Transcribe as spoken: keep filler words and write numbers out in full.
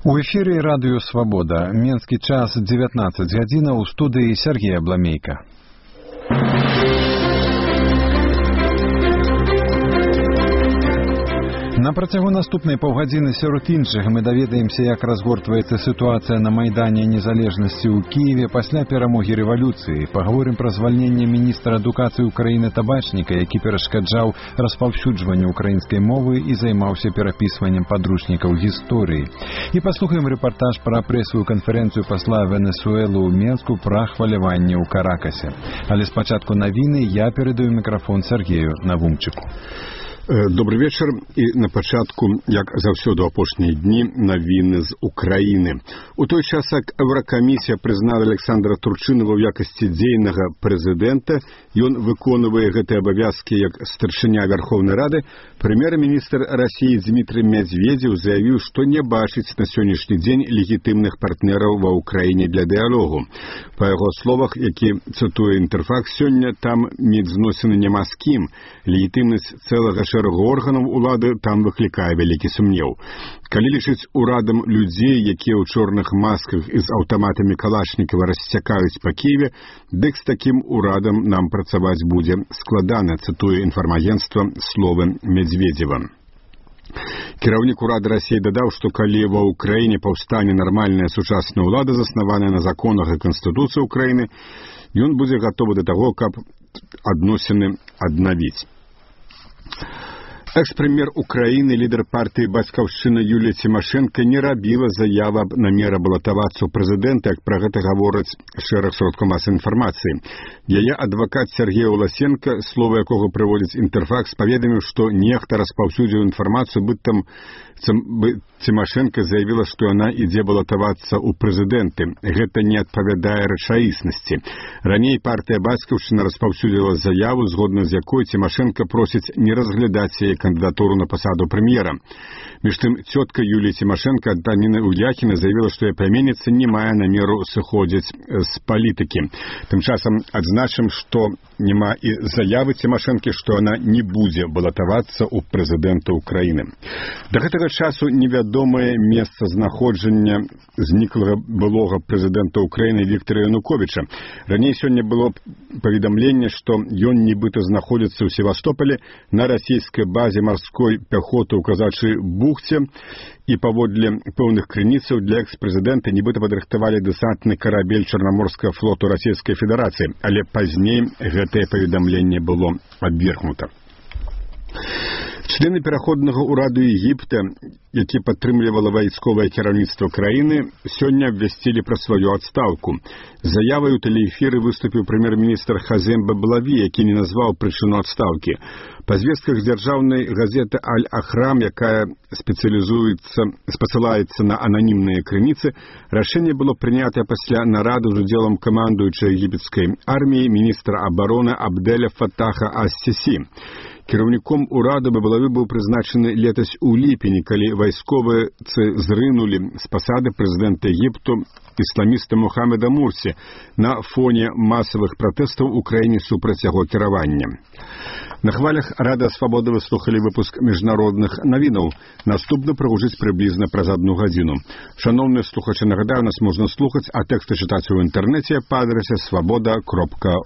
У эфире радио «Свобода». Менский час девятнадцать гадзіна, у студии Сергей Абламейко. На працягу наступнай паўгадзіны сярод іншых мы даведаемся, як разгортваецца сітуацыя на Майдане Незалежнасці ў Кіеве пасля перамогі рэвалюцыі. Паговорым пра звальненне міністра адукацыі Украіны Табачніка, які перашкаджаў распаўсюджванню украінскай мовы і займаўся перапісваннем падручнікаў гісторыі. І паслухаем рэпартаж пра прэсавую канферэнцыю пасла Венесуэлы ў Менску пра хваляванне ў Каракасе. Але спачатку навіны я перадаю мікрафон Сергею Навумчыку. Добрый вечер. И на пачатку, як заўсёды ў апошнія дні, навіны з Украіны. У той час, як Еўракамісія прызнала Александра Турчынова ў якасці дзейнага прэзідэнта, ён выконвае гэтыя абавязкі як старшыня Верховнай Рады, прэм'ер-міністр Расіі Дмітрий Медведзеў заявіў, што не бачыць на сённяшні дзень легітымных партнераў ва Ўкраіне для дыялогу. Па яго словах, які цытуе Інтэрфакс, сёння там міжзносіны няма з кім. Легітымнасць цэлага шэрагу органаў улады там выклікае вялікі сумнеў. Калі лічыць урадам людзей, якія ў чорных масках і з аўтаматамі Калашнікава расцякаюць па Кіеве, дык з такім урадам нам працаваць будзе складана, цытуе інфармагенцтва словы Медведзева. Кіраўнік урада Расіі дадаў, што калі ва Ўкраіне паўстане нармальная сучасная ўлада, заснаваная на законах і Канстытуцыі Ўкраіны, ён будзе гатовы да таго, каб адносіны аднавіць. Экс-прэм'ер Украіны, лідар партыі «Бацькаўшчына» Юлія Цімашэнка не рабіла заяву аб намеры балатавацца ў прэзідэнта, як пра гэта гавораць шэраг сродкаў масавай інфармацыі. Яе адвакат Сергей Уласенко, слова якога прыводзіць Інтэрфакс, паведаміў, што нехта распаўсюдзіў інфармацыю, быццам Цімашэнка заявіла, што яна ідзе балатавацца ў прэзідэнты. Гэта не адпавядае рэчаіснасці. Раней партыя «Бацькаўшчына» распаўсюдзіла заяву, згодна з якой Цімашэнка просіць не разглядаць яе кандидатуру на посаду премьера. Між тым, цётка Юлии Тимошенко Антонина Уляхина заявила, что ее племянница не мае намеру сыходзіць з палітыкі. Тым часам адзначым, што няма і заявы Тимошенко, што она не будзе балатавацца ў прэзідэнта Украіны. Да гэтага часу невядомае месца знаходжання зніклага былога прэзідэнта Украіны Віктора Януковіча. Раней сёння было паведамленне, што ён нібыта знаходзіцца ў Севастополі на расійскай базе марской пяхоты ў Казачай бухце, і паводле пэўных крыніцаў для экс-прэзідэнта нібыта падрыхтавалі дэсантны карабель Чарнаморскага флоту Расійскай Федэрацыі, але пазней гэтае паведамленне было абвергнута. Члены пераходнага ўраду Егіпта, які падтрымлівала вайсковае кіраўніцтва краіны, сёння абвясцілі пра сваю адстаўку. Заявай у тэлеэфіры выступіў прэм'ер-міністр Хазем Баблаві, які не назваў прычыну адстаўкі. Па звестках дзяржаўнай газеты «Аль-Ахрам», якая спецыялізуецца, спасылаецца на ананімныя крыніцы, рашэнне было прынятае пасля нарады з удзелам камандуючай егіпецкай арміі міністра абароны Абдэля Фатаха Ас-Сісі. Кіраўніком урада Баблаві быў прызначаны летась у ліпені, калі вайсковыя зрынулі з пасады прэзідэнта Егіпту ісламіста Мухаммеда Мурсі на фоне масавых пратэстаў у краіне супраць яго кіравання. На хвалях Радыё Свабода вы слухалі выпуск міжнародных навінаў. Наступны прагучыць прыблізна праз адну гадзіну. Шаноўныя слухачы, нагадаю, нас можна слухаць, а тэксты чытаць у інтэрнэце па адрасе свабода кропка